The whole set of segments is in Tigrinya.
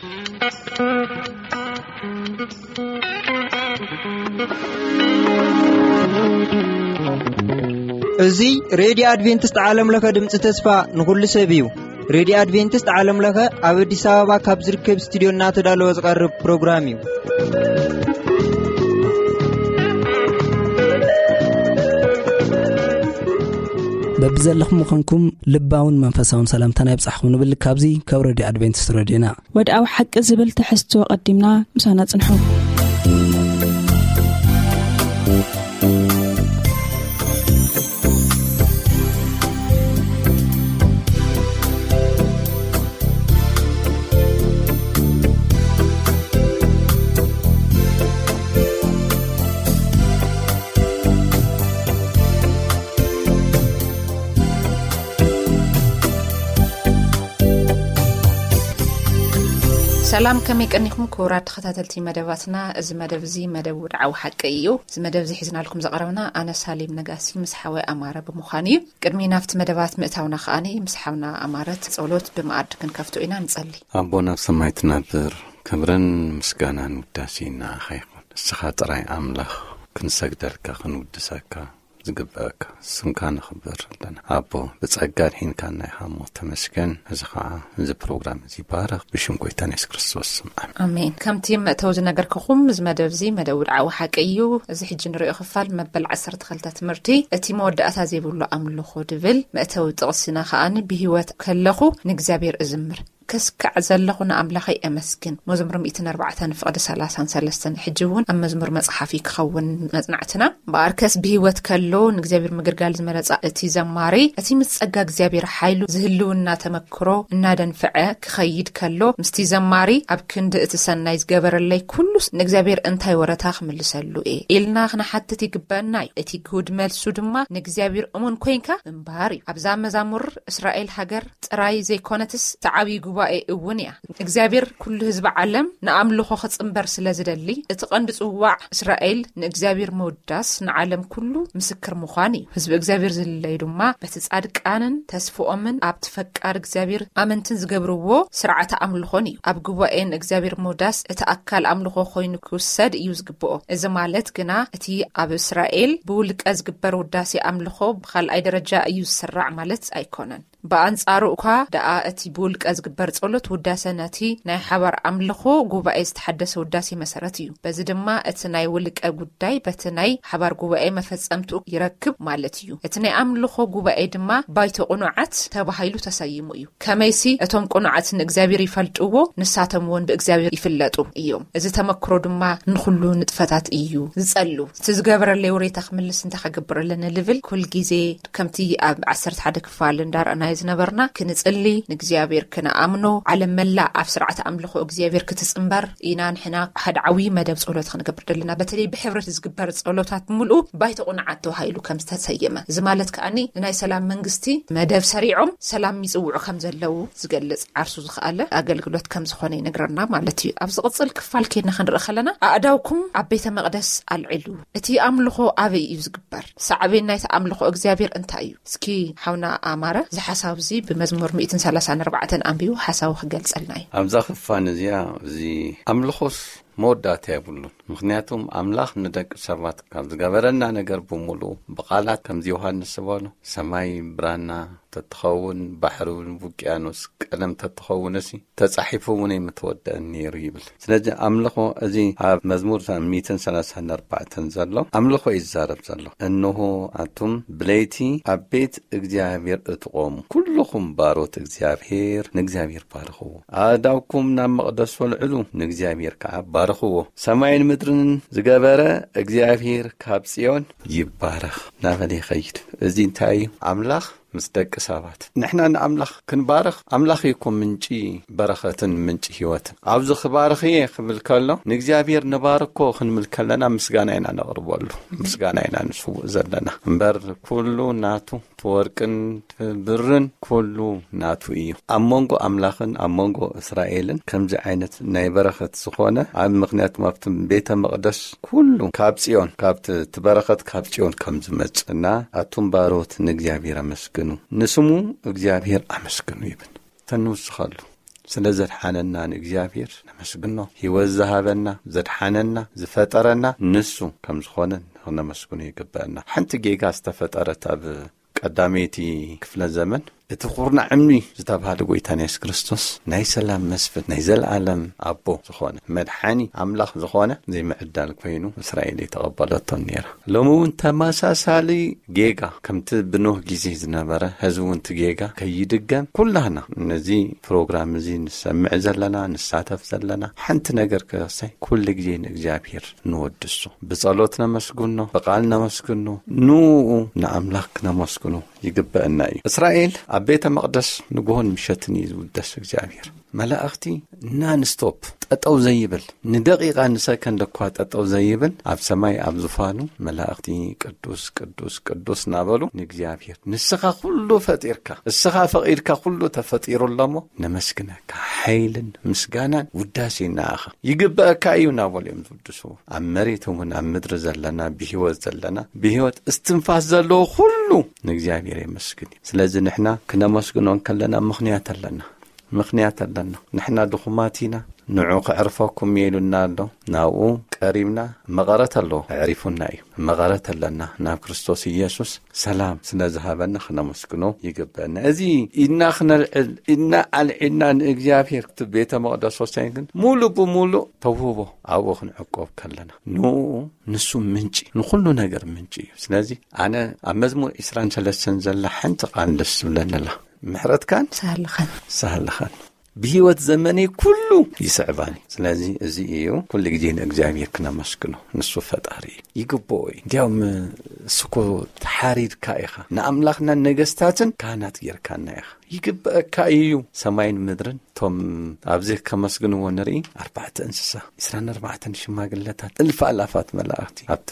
እዚ ሬድዮ ኣድቬንቲስት ዓለም ለኸ ድምፂ ተስፋ ንኹሉ ሰብ እዩ። ሬድዮ ኣድቬንቲስት ዓለም ለኸ ኣብ ኣዲስ ኣበባ ካብ ዝርከብ ስቱዲዮ እናተዳለወ ዝቐርብ ፕሮግራም እዩ። በብዘለኹም ምዃንኩም ልባውን መንፈሳውን ሰላምታና ይብጻሕኩም ንብል ካብዚ ካብ ሬድዮ ኣድቬንቲስት ሬድዮና። ወድኣዊ ሓቂ ዝብል ትሕዝቶ ቀዲምና ምሳና ጽንሑ። ሰላም፣ ከመይ ቀኒኹም ክቡራት ተኸታተልቲ መደባትና? እዚ መደብ እዚ መደብ ውድዓዊ ሓቂ እዩ። እዚ መደብ እዚ ሒዝናልኩም ዘቕረብና ኣነ ሳሌም ነጋሲ ምስ ሓወይ ኣማረ ብምዃን እዩ። ቅድሚ ናብቲ መደባት ምእታውና ከኣኒ ምስ ሓውና ኣማረ ጸሎት ብመኣዲ ክንከፍቶ ኢና። ንጸሊ። ኣቦ ናብ ሰማይ ትነብር፣ ክብርን ምስጋናን ውዳሴን ንዓኻ ይኹን። ንስኻ ጥራይ ኣምላኽ ክንሰግደልካ ክንውድሰካ ዝግበኣካ ስምካ ነኽብር ኣለና። ኣቦ፣ ብጸጋ ድሒንካና ኢኻ እሞ ተመስገን። እዚ ኸዓ፣ እዚ ፕሮግራም እዚ ይባረኽ ብሽም ጎይታና የሱስ ክርስቶስ ስም፣ ኣሜን። ኣሜን። ከምቲ መእተዊ ዝነገርክኹም፣ እዚ መደብ እዚ መደብ ውድዓዊ ሓቂ እዩ። እዚ ሕጂ ንሪኦ ክፋል መበል ዓሰርተ ክልተ ትምህርቲ፣ እቲ መወዳእታ ዘይብሉ ኣምልኾ ድብል መእተዊ ጥቕስና ኸኣ ብህይወት ከለኹ ንእግዚኣብሔር እዝምር፣ ከስካዕ ዘለኹ ንኣምላኸይ እመስግን። መዝሙር ሚእትን ኣርባዕተን ፍቕዲ ሰላሳን ሰለስተን። ሕጂ እውን ኣብ መዝሙር መጽሓፊ ክኸውን መጽናዕትና። እምበኣርከስ ብህይወት ከሎ ንእግዚኣብሔር ምግልጋል ዝመረጻ እቲ ዘማሪ፣ እቲ ምስ ጸጋ እግዚኣብሔር ሓይሉ ዝህልውና ተመክሮ እናደንፍዐ ክኸይድ ከሎ፣ ምስቲ ዘማሪ ኣብ ክንዲ እቲ ሰናይ ዝገበረለይ ኩሉስ ንእግዚኣብሔር እንታይ ወረታ ክምልሰሉ እየ ኢልና ክንሓትት ይግበአና እዩ። እቲ ግሁድ መልሱ ድማ ንእግዚኣብሔር እሙን ኮይንካ ምንባር እዩ። ኣብዛ መዛሙር እስራኤል ሃገር ጥራይ ዘይኮነትስ እቲ ዓብዪ ጉባኤ እውን እያ። እግዚኣብሔር ኩሉ ህዝቢ ዓለም ንኣምልኾ ክጽንበር ስለ ዝደሊ፣ እቲ ቀንዲ ጽዋዕ እስራኤል ንእግዚኣብሔር ምውዳስ ንዓለም ኩሉ ምስክር ምዃን እዩ። ህዝቢ እግዚኣብሔር ዝልለዩ ድማ በቲ ጻድቃንን ተስፍኦምን ኣብቲ ፈቃር እግዚኣብሔር ኣመንትን ዝገብርዎ ስርዓተ ኣምልኾን እዩ። ኣብ ጉባኤ ንእግዚኣብሔር ምውዳስ እቲ ኣካል ኣምልኾ ኮይኑ ክውሰድ እዩ ዝግብኦ። እዚ ማለት ግና እቲ ኣብ እስራኤል ብውልቀ ዝግበር ውዳሴ ኣምልኾ ብኻልኣይ ደረጃ እዩ ዝስራዕ ማለት ኣይኮነን። ብኣንጻሩ እኳ ደኣ እቲ ብውልቀ ዝግበር ጸሎት ውዳሰ ነቲ ናይ ሓባር ኣምልኾ ጉባኤ ዝተሓደሰ ውዳሴ መሰረት እዩ። በዚ ድማ እቲ ናይ ውልቀ ጉዳይ በቲ ናይ ሓባር ጉባኤ መፈጸምትኡ ይረክብ ማለት እዩ። እቲ ናይ ኣምልኾ ጉባኤ ድማ ባይቶ ቅኑዓት ተባሂሉ ተሰይሙ እዩ። ከመይሲ እቶም ቅኑዓት ንእግዚኣብሔር ይፈልጥዎ፣ ንሳቶም እውን ብእግዚኣብሔር ይፍለጡ እዮም። እዚ ተመክሮ ድማ ንኹሉ ንጥፈታት እዩ ዝጸሉ። እቲ ዝገበረለይ ውሬታ ክምልስ እንታይ ከገብር ኣለኒ ልብል ኩል ግዜ ከምቲ ኣብ ዓሰርተ ሓደ ክፋል እንዳረኣናዮ ዝነበርና፣ ክንጽሊ፣ ንእግዚኣብሔር ክንኣምኖ፣ ዓለም መላእ ኣብ ስርዓት ኣምልኾ እግዚኣብሔር ክትጽንበር ኢና። ንሕና ሓደ ዓብዪ መደብ ጸሎት ክንገብር ደለና። በተለይ ብሕብረት ዝግበር ጸሎታት ብምልኡ ባይቶ ቁንዓት ተባሂሉ ከም ዝተሰየመ። እዚ ማለት ከኣኒ ንናይ ሰላም መንግስቲ መደብ ሰሪዖም ሰላም ይጽውዑ ከም ዘለዉ ዝገልጽ ዓርሱ ዝኸኣለ ኣገልግሎት ከም ዝኾነ ይነግረና ማለት እዩ። ኣብ ዝቕጽል ክፋል ኬድና ክንርኢ ከለና፣ ኣእዳውኩም ኣብ ቤተ መቕደስ ኣልዕሉ። እቲ ኣምልኾ ኣበይ እዩ ዝግበር? ሳዕቤን ናይቲ ኣምልኾ እግዚኣብሔር እንታይ እዩ? እስኪ ሓውና ኣማረ፣ እዚ ሓሳብ እዚ ብመዝሙር ሚእትን ሰላሳን ኣርባዕተን ኣንቢቡ ሓሳቡ ክገልጸልና እዩ። ኣብዛ ክፋን እዚኣ፣ እዚ ኣምልኾስ መወዳእታ የብሉን። ምኽንያቱም ኣምላኽ ንደቂ ሰባት ካብ ዝገበረና ነገር ብምሉኡ፣ ብቓላት ከምዚ ዮሃንስ ዝበሎ፣ ሰማይ ብራና ተትኸውን፣ ባሕሪ እውን ውቅያኖስ ቀለም ተትኸውን፣ እሲ ተጻሒፉ እውን ኣይምተወደአን ነይሩ ይብል። ስለዚ ኣምልኾ፣ እዚ ኣብ መዝሙር ሚእትን ሰላሳን ኣርባዕተን ዘሎ ኣምልኾ እዩ ዝዛረብ ዘሎ። እንሆ ኣቱም ብለይቲ ኣብ ቤት እግዚኣብሔር እትቖሙ፣ ኩልኹም ባሮት እግዚኣብሔር ንእግዚኣብሔር ባርኽዎ። ኣእዳውኩም ናብ መቕደስ ወልዕሉ፣ ንእግዚኣብሔር ከዓ ባርኽዎ። ሰማይን ምድርን ዝገበረ እግዚኣብሔር ካብ ጽዮን ይባረኽ እናበለ ይኸይድ። እዚ እንታይ እዩ? ኣምላኽ ምስ ደቂ ሰባት። ንሕና ንኣምላኽ ክንባርኽ፣ ኣምላኽ እዩ እኮ ምንጪ በረኸትን ምንጪ ህይወትን። ኣብዚ ክባርኽ እየ ክብል ከሎ፣ ንእግዚኣብሔር ንባርኮ ክንብል ከለና ምስጋና ኢና ነቕርበሉ። ምስጋና ኢና ንስውእ ዘለና። እምበር ኩሉ ናቱ፣ እቲ ወርቅን እቲ ብርን ኩሉ ናቱ እዩ። ኣብ መንጎ ኣምላኽን ኣብ መንጎ እስራኤልን ከምዚ ዓይነት ናይ በረኸት ዝኾነ፣ ኣብ ምኽንያት ኣብቲ ቤተ መቕደስ ኩሉ ካብ ጽዮን፣ ካብቲ፣ እቲ በረኸት ካብ ጽዮን ከም ዝመጽእ እና፣ ኣቱም ባሮት ንእግዚኣብሔር ኣመስግኑ፣ ንስሙ እግዚኣብሔር ኣመስግኑ ይብል። ተንውስኸሉ። ስለ ዘድሓነና ንእግዚኣብሔር ነመስግኖ። ህይወት ዝሃበና፣ ዘድሓነና፣ ዝፈጠረና ንሱ ከም ዝኾነ ክነመስግኖ ይግበአና። ሓንቲ ጌጋ ዝተፈጠረት ኣብ ቀዳመይቲ ክፍለ ዘመን፣ እቲ ኩርናዕ እምኒ ዝተባህለ ጎይታና የሱስ ክርስቶስ ናይ ሰላም መስፍን፣ ናይ ዘለኣለም ኣቦ ዝኾነ፣ መድሓኒ ኣምላኽ ዝኾነ ዘይምዕዳል ኮይኑ እስራኤል የተቐበለቶን ነይራ። ሎሚ እውን ተመሳሳሊ ጌጋ፣ ከምቲ ብኖህ ግዜ ዝነበረ፣ ሕዚ እውን እቲ ጌጋ ከይድገም ኩላህና ነዚ ፕሮግራም እዚ ንሰምዕ ዘለና፣ ንሳተፍ ዘለና፣ ሓንቲ ነገር ክረሳይ ኩሉ ግዜ ንእግዚኣብሔር ንወድሱ። ብጸሎት ነመስግኖ፣ ብቓል ነመስግኖ፣ ንኡ ንኣምላኽ ክነመስግኖ ይግበአና እዩ። እስራኤል ኣብ ቤተ መቕደስ ንግሆን ምሸትን እዩ ዝውደስ እግዚኣብሔር። መላእኽቲ ናንስቶፕ ጠጠው ዘይብል፣ ንደቂቓ ንሰከንድ እኳ ጠጠው ዘይብል ኣብ ሰማይ ኣብ ዙፋኑ መላእኽቲ ቅዱስ ቅዱስ ቅዱስ እናበሉ ንእግዚኣብሔር፣ ንስኻ ኩሉ ፈጢርካ፣ እስኻ ፈቒድካ ኩሉ ተፈጢሩ ኣለሞ፣ ነመስግነካ፣ ሓይልን ምስጋናን ውዳሴን ንኣኻ ይግበአካ እዩ እናበሉ እዮም ዝውድስዎ። ኣብ መሬት እውን ኣብ ምድሪ ዘለና ብህይወት ዘለና ብህይወት እስትንፋስ ዘለዎ ኩሉ ንእግዚኣብሔር የመስግን እዩ። ስለዚ ንሕና ክነመስግኖ እንከለና ምኽንያት ኣለና። ምኽንያት ኣለና። ንሕና ድኹማት ኢና፣ ንዑ ከዕርፈኩም እየ ኢሉና ኣሎ። ናብኡ ቀሪብና፣ መቐረት ኣለዎ፣ ኣዕሪፉና እዩ። መቐረት ኣለና ናብ ክርስቶስ ኢየሱስ። ሰላም ስለ ዝሃበና ክነመስግኖ ይግበአና። እዚ ኢድና ክነልዕል፣ ኢድና ኣልዒልና ንእግዚኣብሔር እቲ ቤተ መቕደስ ወሳኝ ግን ሙሉእ ብሙሉእ ተውህቦ ኣብኡ ክንዕቆብ ከለና ንኡ ንሱ ምንጪ፣ ንኹሉ ነገር ምንጪ እዩ። ስለዚ ኣነ ኣብ መዝሙር ዕስራን ሰለስተን ዘላ ሓንቲ ቃል ደስ ትብለኒ ኣላ። ምሕረትካን ሳህልኻን። ሳህልኻን ብህይወት ዘመነይ ኩሉ ይስዕባኒ። ስለዚ እዚ እዩ ኩሉ ግዜ ንእግዚኣብሔር ክነመስግኖ። ንሱ ፈጣሪ እዩ። ይግብኦ እዩ። እንዲያውም እሱ እኮ ተሓሪድካ ኢኻ። ንኣምላኽና ነገስታትን ካህናት ጌርካና ኢኻ። ይግብአካ እዩ። ሰማይን ምድርን እቶም ኣብዚ ከመስግንዎ ንርኢ ኣርባዕተ እንስሳ፣ ዕስራን ኣርባዕተን ሽማግለታት፣ እልፍ ኣላፋት መላእኽቲ ኣብቲ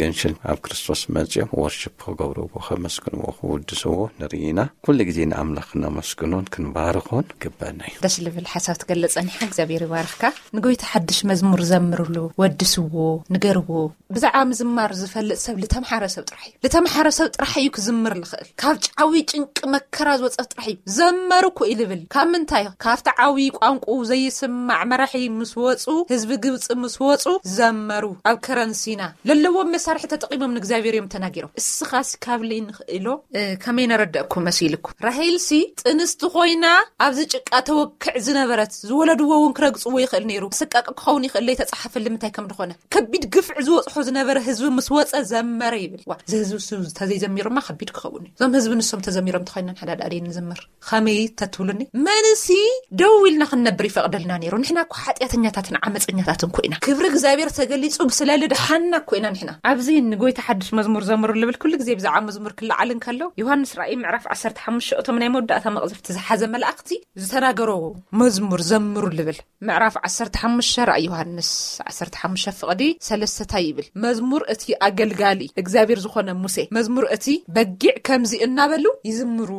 ገንሽል ኣብ ክርስቶስ መጺኦም ወርሽፕ ክገብርዎ ከመስግንዎ ክውድስዎ ንርኢ ኢና። ኩሉ ግዜ ንኣምላኽ ክነመስግኖን ክንባርኾን ግበና እዩ። ደስ ልብል ሓሳብ ትገልጽ ጸኒሓ፣ እግዚኣብሔር ይባርኽካ። ንጎይታ ሓድሽ መዝሙር ዘምርሉ፣ ወድስዎ፣ ንገርዎ። ብዛዕባ ምዝማር ዝፈልጥ ሰብ ልተምሓረ ሰብ ጥራሕ እዩ። ልተምሓረ ሰብ ጥራሕ እዩ ክዝምር ልኽእል። ካብ ጫዊ ጭንቂ መከራ ዝወጸት ጥራሕ እዩ። ዘመሩ እኮ እዩ ልብል። ካብ ምንታይ? ካብቲ ዓዊ ቋንቁ ዘይስማዕ መራሒ ምስ ወጹ፣ ህዝቢ ግብጺ ምስ ወጹ ዘመሩ። ኣብ ከረን ሲና ለለዎም መሳርሒ ተጠቂሞም ንእግዚኣብሔር እዮም ተናጊሮም። እስኻስ ካብ ልይንኽእሎ፣ እ፣ ከመይ ነረደእኩ መሲልኩ? ራሄልሲ ጥንስቲ ኮይና ኣብዚ ጭቃ ተወክዕ ዝነበረት፣ ዝወለድዎ እውን ክረግጽዎ ይኽእል ነይሩ። ስቃቂ ክኸውን ይኽእል፣ ለይተጻሓፈ ልምንታይ ከም ድኾነ። ከቢድ ግፍዒ ዝወጽሖ ዝነበረ ህዝቢ ምስ ወጸ ዘመረ ይብል። ዋ፣ እዚ ህዝቢ እሱ ተዘይዘሚሩማ ከቢድ ክኸውን እዩ። እዞም ህዝቢ ንሶም ተዘሚሮም ተኾይና ንሓዳዳሪ ንዝምር። ከመይ ተትብሉኒ? መንሲ ደው ኢልና ክንነብር ይፈቕደልና ነይሩ። ንሕና እኮ ሓጢኣተኛታትን ዓመፀኛታትን እኮ ኢና። ክብሪ እግዚኣብሔር ተገሊጹ ስለ ልድሓና እኮ ኢና ንሕና። ኣብዚ ንጎይታ ሓድሽ መዝሙር ዘምሩ ልብል ኩሉ ግዜ ብዛዕባ መዝሙር ክለዓል እንከሎ፣ ዮሃንስ ራእይ ምዕራፍ ዓሰርተ ሓሙሽተ፣ እቶም ናይ መወዳእታ መቕዘፍቲ ዝሓዘ መላእኽቲ ዝተናገሮ መዝሙር ዘምሩ ልብል። ምዕራፍ ዓሰርተ ሓሙሽተ ራእይ ዮሃንስ ዓሰርተ ሓሙሽተ ፍቕዲ ሰለስተ እንታይ ይብል? መዝሙር እቲ ኣገልጋሊ እግዚኣብሔር ዝኾነ ሙሴ፣ መዝሙር እቲ በጊዕ ከምዚ እናበሉ ይዝምሩ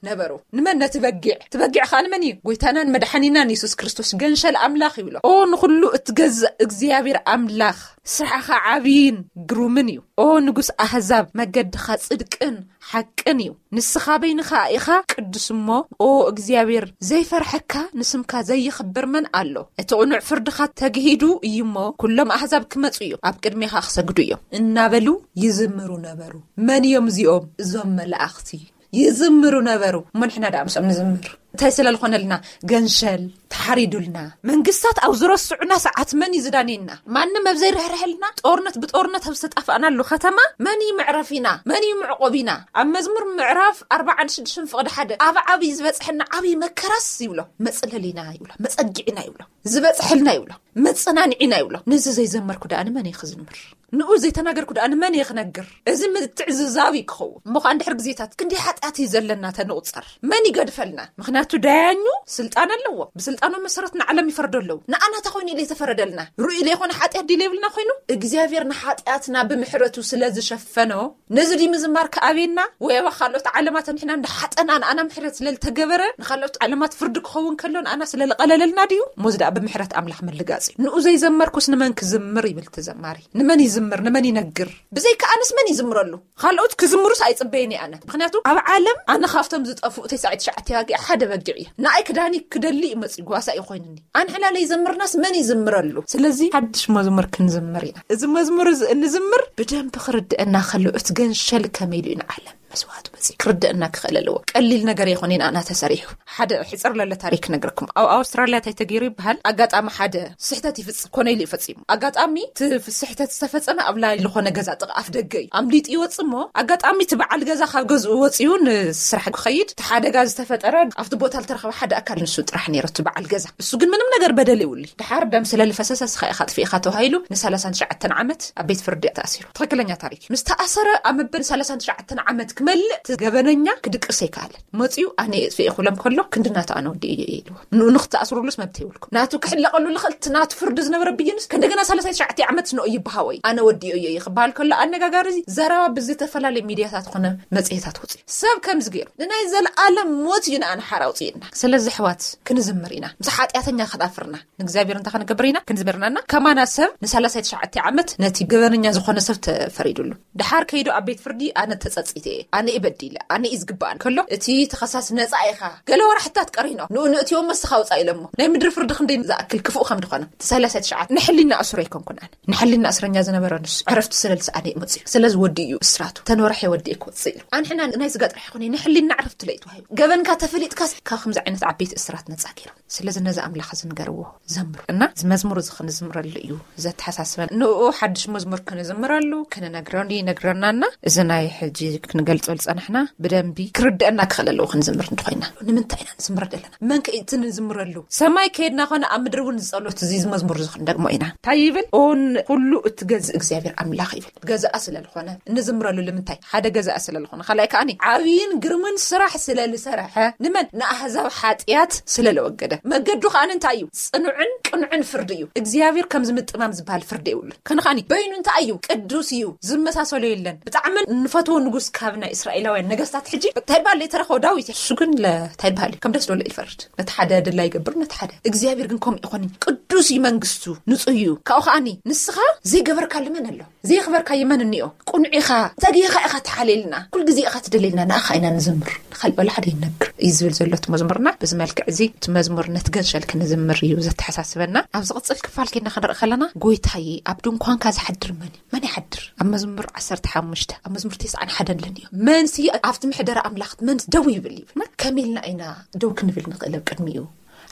ነበሩ። ንመን? ነቲ በጊዕ። እቲ በጊዕ ኸኣ ንመን እዩ? ጎይታናን መድሓኒናን የሱስ ክርስቶስ፣ ገንሸል ኣምላኽ ይብሎ። ኦ ንኹሉ እትገዝእ እግዚኣብሔር ኣምላኽ፣ ስራሕኻ ዓብይን ግሩምን እዩ። ኦ ንጉስ ኣህዛብ፣ መገድኻ ጽድቅን ሓቅን እዩ። ንስኻ በይንኻ ኢኻ ቅዱስ እሞ፣ ኦ እግዚኣብሔር፣ ዘይፈርሐካ፣ ንስምካ ዘይኽብር መን ኣሎ? እቲ ቅኑዕ ፍርድኻ ተግሂዱ እዩ እሞ፣ ኩሎም ኣህዛብ ክመጹ እዮም፣ ኣብ ቅድሜኻ ክሰግዱ እዮም እናበሉ ይዝምሩ ነበሩ። መን እዮም እዚኦም? እዞም መላእኽቲ ይዝምሩ ነበሩ። እሞ ንሕና ደኣ ምስኦም ንዝምር። እንታይ ስለ ዝኾነልና? ገንሸል ተሓሪዱልና። መንግስታት ኣብ ዝረስዑና ሰዓት መን እዩ ዝዳንየና? ማንም ኣብ ዘይርሕርሐልና፣ ጦርነት ብጦርነት ኣብ ዝተጣፋእናሉ ከተማ መን እዩ መዕረፊና? መን እዩ መዕቆቢና? ኣብ መዝሙር ምዕራፍ ኣርባዓን ሽዱሽተን ፍቕዲ ሓደ፣ ኣብ ዓብዪ ዝበጽሐና ዓብዪ መከራስ ይብሎ፣ መጽለሊና ይብሎ፣ መጸጊዕና ይብሎ፣ ዝበጽሐልና ይብሎ፣ መጸናንዒና ይብሎ። ነዚ ዘይዘመርኩ ደኣ ንመን እየ ክዝምር? ንኡ ዘይተናገርኩ ደኣ ንመን እየ ክነግር? እዚ ምትዕዝዛብ እዩ ክኸውን። እሞ ኸኣ እንድሕር ግዜታት ክንደይ ሓጢኣት እዩ ዘለና ተንቑጸር። መን ይገድፈልና? ምኽንያቱ ዳያኙ ስልጣን ኣለዎ። ብስልጣኑ መሰረት ንዓለም ይፈርዶ ኣለዉ። ንኣና ተኾይኑ ኢለ ዝተፈረደልና። ርኡይ ዘይኮነ ሓጢኣት ድዩ ዘይብልና ኮይኑ? እግዚኣብሔር ንሓጢኣትና ብምሕረቱ ስለ ዝሸፈኖ፣ ነዚ ድዩ ምዝማር ክኣብየና? ወይ ኣብ ካልኦት ዓለማት ንሕና እንዳሓጠና ንኣና ምሕረት ስለ ዝተገበረ፣ ንኻልኦት ዓለማት ፍርዲ ክኸውን ከሎ ንኣና ስለ ዝቐለለልና ድዩ? እሞ እዚ ደኣ ብምሕረት ኣምላኽ ምልጋጽ እዩ። ንኡ ዘይዘመርኩስ ንመን ክዝምር ይብል እቲ ዘማሪ። ንመን ይዝምር? ንመን ይነግር? ብዘይካ ኣነስ መን ይዝምረሉ? ካልኦት ክዝምሩስ ኣይጽበየን እየ ኣነ። ምኽንያቱ ኣብ ዓለም ኣነ ካብቶም ዝጠፍኡ ተስዓይ ትሽዓተ ኣባጊዕ ሓደ ርግዕ እየ። ንኣይ ክዳኒ ክደሊ እዩ መፅኡ፣ ጓሳ እዩ ኮይኑኒ። ኣንሕና ለይዘምርናስ መን ይዝምረሉ? ስለዚ ሓድሽ መዝሙር ክንዝምር ኢና። እዚ መዝሙር እዚ እንዝምር ብደንብ ክርድአና ከሎ፣ እቲ ገንሸል ከመይ ኢሉ እዩ ንዓለም መስዋዕቱ መፅኡ ክርድአና ክኽእል ኣለዎ። ቀሊል ነገር ኣይኮነን ኣና ተሰሪሑ። ሓደ ሕፅር ለለ ታሪክ ነግረኩም። ኣብ ኣውስትራልያ እንታይ ተገይሩ ይበሃል? ኣጋጣሚ ሓደ ስሕተት ይፍፅም ኮነ ኢሉ ይፈፂሙ። ኣጋጣሚ እቲ ስሕተት ዝተፈፀመ ኣብ ላይ ዝኾነ ገዛ ጥቓ ኣፍ ደገ እዩ። ኣምሊጡ ይወፅእ እሞ ኣጋጣሚ እቲ በዓል ገዛ ካብ ገዝኡ ወፂኡ ንስራሕ ክኸይድ እቲ ሓደጋ ዝተፈጠረ ኣብቲ ቦታ ዝተረኸበ ሓደ ኣካል ንሱ ጥራሕ ነይሩ፣ እቲ በዓል ገዛ። እሱ ግን ምንም ነገር በደል የብሉ። ድሓር ደም ስለ ልፈሰሰ እስኻ ኢኻ ጥፊእኻ ተባሂሉ ን39 ዓመት ኣብ ቤት ፍርዲ ተኣሲሩ። ትኽክለኛ ታሪክ። ምስ ተኣሰረ ኣብ መበል 39 ዓመት ክመልእ እቲ ገበነኛ ክድቅስ ኣይከኣለን። መፂኡ ኣነ እየ ጥፊኤ ክብሎም ከሎ ክንዲ ናቱ ኣነ ወዲኤዮ እየ ኢልዎ። ንኡ ንክተኣስሩሉስ መብት የብልኩም። ናቱ ክሕለቐሉ ልኽእል እቲ ናቱ ፍርዲ ዝነበረ ብይንስ ከእንደገና 39 ዓመት ንኡ ይበሃወ እዩ። ኣነ ወዲኤዮ እየ ክበሃል ከሎ ኣነጋጋሪ እዚ ዘረባ ብዝተፈላለዩ ሚድያታት ኮነ መፅሄታት ወፂኡ። ሰብ ከምዚ ገይሩ ንናይ ዘለኣለም ሞት እዩ ንኣነ ሓራ ኣውፅእና። ስለዚ ኣሕዋት ክንዝምር ኢና። ምስ ሓጢኣተኛ ክዳፍርና ንእግዚኣብሔር እንታይ ክንገብር ኢና? ክንዝምርና እና ከማና ሰብ ን39 ዓመት ነቲ ገበነኛ ዝኾነ ሰብ ተፈሪዱሉ። ድሓር ከይዱ ኣብ ቤት ፍርዲ ኣነ ተጸጺተ እየ፣ ኣነ እየ በዲለ፣ ኣነ እዩ ዝግባእ ከሎ እቲ ተኸሳሲ ነጻ ኢኻ ገለ ወራሕታት ቀሪኖ ንኡ ንእትዮ መስኻ ውጻእ ኢሎሞ። ናይ ምድሪ ፍርዲ ክንደይ ዝኣክል ክፉእ ከም ዝኾነ እቲ 39 ንሕሊና ኣሱር ኣይኮንኩን ኣነ። ንሕሊና እስረኛ ዝነበረ ንሱ ዕረፍቲ ስለ ዝሰኣነ እዩ መጽኡ። ስለዚ ወዲ እዩ እስራቱ ተንወርሐ ወዲ ክወጽእ ኢሉ። ኣንሕና ናይ ስጋ ጥራሕ ይኾነ ንሕሊና ዕረፍቲ ለይትዋሂቡ። ገበንካ ተፈሊጥካስ ካብ ከምዚ ዓይነት ዓበይቲ እስራት ነጻ ገይሩ። ስለዚ ነዚ ኣምላኽ እዚ ንገርዎ፣ ዘምሩ። እና እዚ መዝሙር እዚ ክንዝምረሉ እዩ ዘተሓሳስበን። ንኡ ሓድሽ መዝሙር ክንዝምረሉ፣ ክንነግረሉ ይነግረናና። እዚ ናይ ሕጂ ክንገልጾ ዝጸናሕና ብደንቢ ክርድአና ክኽእል ኣለዎ ክንዝምር እንተኾይና። ንምንታይ ኢና ንዝምር ዘለና? መን ከ እቲ ንዝምረሉ? ሰማይ ከየድና ኾነ ኣብ ምድሪ እውን ዝጸሎት እዚ፣ እዚ መዝሙር እዚ ክንደግሞ ኢና። እንታይ ይብል? ኦን ኩሉ እትገዝእ እግዚኣብሔር ኣምላኽ ይብል። ገዛኣ ስለ ዝኾነ እንዝምረሉ። ንምንታይ? ሓደ ገዛኣ ስለ ዝኾነ። ካልኣይ ከኣኒ ዓብይን ግርምን ስራሕ ስለ ዝሰረሐ ንመን? ንኣህዛብ ሓጢኣት ስለ ለወገደ። መገዱ ከኣኒ እንታይ እዩ? ጽኑዕን ቅኑዕን ፍርዲ እዩ። እግዚኣብሔር ከም ዝምጥማም ዝበሃል ፍርዲ የብሉን። ከነ ከኣኒ በይኑ እንታይ እዩ? ቅዱስ እዩ። ዝመሳሰሎ የለን። ብጣዕሚ ንፈትዎ ንጉስ ካብ ናይ እስራኤላውያን ነገስታት ሕጂ እንታይ በሃል? ዘይተረኸቦ ዳዊት እዩ። እሱ ግን ለ-፣ እንታይ በሃል እዩ? ከም ደስ ደሎ ይፈርድ። ነቲ ሓደ ድላ ይገብር፣ ነቲ ሓደ። እግዚኣብሔር ግን ከምኡ ይኾን እዩ። ቅዱስ እዩ መንግስቱ፣ ንጹህ እዩ። ካብኡ ከኣኒ ንስኻ ዘይገበርካሉ መን ኣሎ? ዘየኽበርካዮ መን እኒኦ? ቁኑዕ ኢኻ፣ ተጊኻ ኢኻ ትሓልየልና፣ ኩል ግዜ ኢኻ ትደልየልና፣ ንኣኻ ኢና ንዝምር፣ ንኻልእ ወላ ሓደ ይነግር እዩ ዝብል ዘሎ እቲ መዝሙርና። በዚ መልክዕ እዚ እቲ መዝሙር ነቲ ገንሸል ክንዝምር እዩ ዘተሓሳስበና። ኣብ ዝቕጽል ክፋል ኬድና ክንርኢ ከለና፣ ጎይታዬ ኣብ ድንኳንካ ዝሓድር መን እዩ? መን ይሓድር? ኣብ መዝሙር 15፣ ኣብ መዝሙር 91 ኣለኒ እዩ። መንሲ ኣብቲ ምሕደራ ኣምላኽ መንስ ደው ይብል እዩ። እና ከመይ ኢልና ኢና ደው ክንብል ንኽእል ኣብ ቅድሚኡ?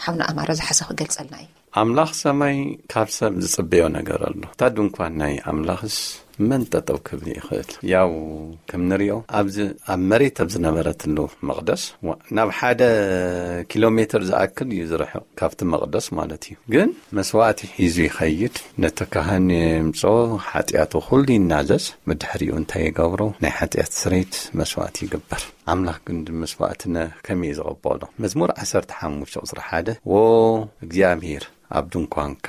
ሓውና ኣማረ ዝሓሰ ክገልጸልና እዩ። ኣምላኽ ሰማይ ካብ ሰብ ዝጽበዮ ነገር ኣሎ። እታ ድንኳን ናይ ኣምላኽስ መን ጠጠው ክብል ይኽእል? ያው ከም ንሪኦ ኣብዚ ኣብ መሬት ኣብ ዝነበረትሉ መቕደስ ዋ-፣ ናብ ሓደ ኪሎ ሜትር ዝኣክል እዩ ዝርሕቕ ካብቲ መቕደስ ማለት እዩ። ግን መስዋእቲ ሒዙ ይኸይድ፣ ነቲ ካህን የምጽኦ፣ ሓጢኣቱ ኩሉ ይናዘዝ። ብድሕሪኡ እንታይ ይገብሮ? ናይ ሓጢኣት ስሬት መስዋእቲ ይግበር። ኣምላኽ ግን መስዋእትና ከመይ እዩ ዝቕበሎ? መዝሙር 15 ቁጽሪ 1፣ "ዎ እግዚኣብሔር፣ ኣብ ድንኳንካ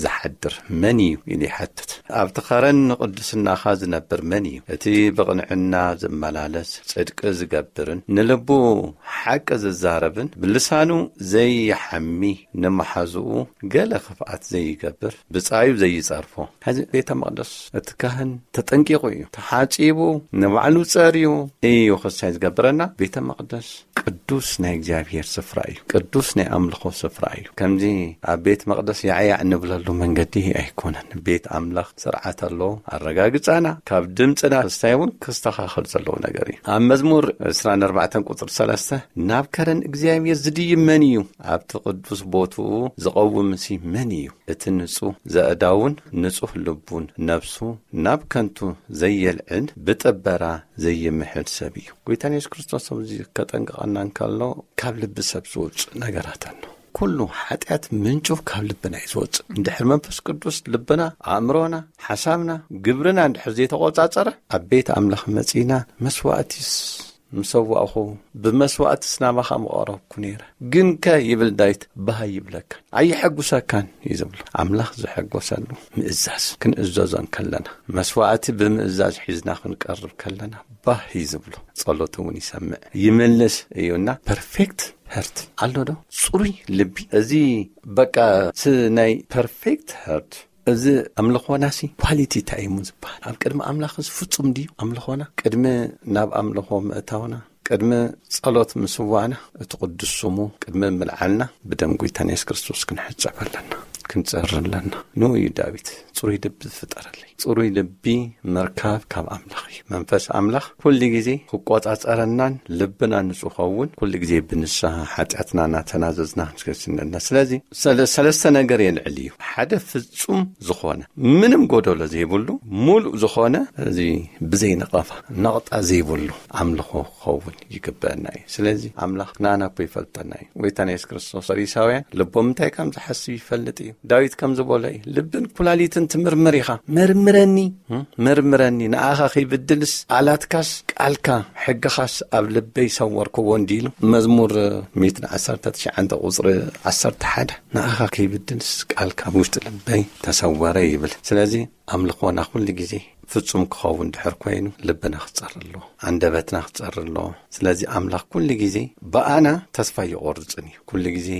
ዝሓድር መን እዩ?" ኢሉ ይሓትት። "ኣብቲ ኸረን ንቕድስናኻ ዝነብር መን እዩ? እቲ ብቕንዕና ዝመላለስ፣ ጽድቂ ዝገብርን ንልቡ ሓቂ ዝዛረብን፣ ብልሳኑ ዘይሓሚ፣ ንመሓዝኡ ገለ ክፍኣት ዘይገብር፣ ብጻዩ ዘይጸርፎ?" ሕዚ ቤተ መቕደስ እቲ ካህን ተጠንቂቑ እዩ። ተሓጺቡ፣ ንባዕሉ ጸርዩ እዩ ክሳይ ዝገብረና። ቤተ መቕደስ ቅዱስ ናይ እግዚኣብሔር ስፍራ እዩ። ቅዱስ ናይ ኣምልኾ ስፍራ እዩ። ከምዚ ኣብ ቤት መቕደስ ያዕያዕ እንብለሉ መንገዲ ኣይኮነን። ቤት ኣምላኽ ስርዓት ኣለዎ። ኣረጋግጻና ካብ ድምፅና ክስታይ እውን ክስተኻኸል ዘለዎ ነገር እዩ። ኣብ መዝሙር 24 ቁፅሪ 3፣ "ናብ ከረን እግዚኣብሔር ዝድይብ መን እዩ? ኣብቲ ቅዱስ ቦትኡ ዝቐውምሲ መን እዩ? እቲ ንጹህ ዘእዳውን ንጹህ ልቡን ነፍሱ ናብ ከንቱ ዘየልዕል ብጥበራ ዘይምሕል ሰብ እዩ።" ጎይታና የሱስ ክርስቶስ ኣብዚ ከጠንቅቐና እንከሎ ካብ ልቢ ሰብ ዝወጽእ ነገራት ኣሎ። ኩሉ ሓጢኣት ምንጩ ካብ ልብና እዩ ዝወጽእ። እንድሕር መንፈስ ቅዱስ ልብና፣ ኣእምሮና፣ ሓሳብና፣ ግብርና እንድሕር ዘይተቖጻጸረ ኣብ ቤት ኣምላኽ መጺና መስዋእቲስ ምሰዋእኹ ብመስዋእትስ ናባኻ ምቐረብኩ ነይረ። ግንከ ይብል ዳዊት፣ ባህ ይብለካን ኣየሐጉሰካን እዩ ዝብሎ። ኣምላኽ ዝሐጎሰሉ ምእዛዝ ክንእዘዞ እንከለና፣ መስዋእቲ ብምእዛዝ ሒዝና ክንቀርብ ከለና ባህ እዩ ዝብሎ። ጸሎት እውን ይሰምዕ ይምልስ እዩና። ፐርፌክት ሀርት ኣሎ ዶ? ጽሩይ ልቢ። እዚ በቃ ስ-፣ ናይ ፐርፌክት ሀርት እዚ ኣምልኾናሲ ኳሊቲ እንታይ እዩ ዝበሃል? ኣብ ቅድሚ ኣምላኽስ ፍጹም ድዩ ኣምልኾና? ቅድሚ ናብ ኣምልኾ ምእታውና ቅድሚ ጸሎት ምስዋዕና እቲ ቅዱስ ስሙ ቅድሚ ምልዓልና ብደም ጎይታና የሱስ ክርስቶስ ክንሕጸብ ኣለና፣ ክንጸሪ ኣለና። ንኡ እዩ ዳዊት ጽሩይ ልቢ ዝፍጠረለይ። ጽሩይ ልቢ ምርካብ ካብ ኣምላኽ እዩ። መንፈስ ኣምላኽ ኩሉ ግዜ ክቆጻጸረናን ልብና ንጹህ ኸውን ኩሉ ግዜ ብንስሓ ሓጢኣትና እናተናዘዝና ክንስነና። ስለዚ ሰለ-፣ ሰለስተ ነገር የልዕል እዩ። ሓደ ፍጹም ዝኾነ ምንም ጎደሎ ዘይብሉ ምሉእ ዝኾነ እዚ ብዘይ ነቐፋ ነቕጣ ዘይብሉ ኣምልኾ ክኸውን ይግበአና እዩ። ስለዚ ኣምላኽ ንኣና እኮ ይፈልጠና እዩ። ጎይታና የሱስ ክርስቶስ ፈሪሳውያን ልቦም እንታይ ከም ዝሓስብ ይፈልጥ እዩ። ዳዊት ከም ዝበሎ እዩ፣ ልብን ኩላሊትን ትምርምር ኢኻ፣ መርምረኒ፣ እም፣ መርምረኒ፣ ንኣኻ ከይብድልስ ቃላትካስ ቃልካ ሕግኻስ ኣብ ልበይ ሰወርክዎ እንዲሉ። መዝሙር ሚእትን ዓሰርተ ትሽዓን ቁጽሪ ዓሰርተ ሓደ፣ ንኣኻ ከይብድልስ ቃልካ ኣብ ውሽጢ ልበይ ተሰወረ ይብል። ስለዚ ኣምልኾና ኩሉ ግዜ ፍጹም ክኸውን ድሕር ኮይኑ ልብና ክጸሪ ኣለዎ፣ ኣንደበትና ክጸሪ ኣለዎ። ስለዚ ኣምላኽ ኩሉ ግዜ ብኣና ተስፋ ይቖርጽን እዩ። ኩሉ ግዜ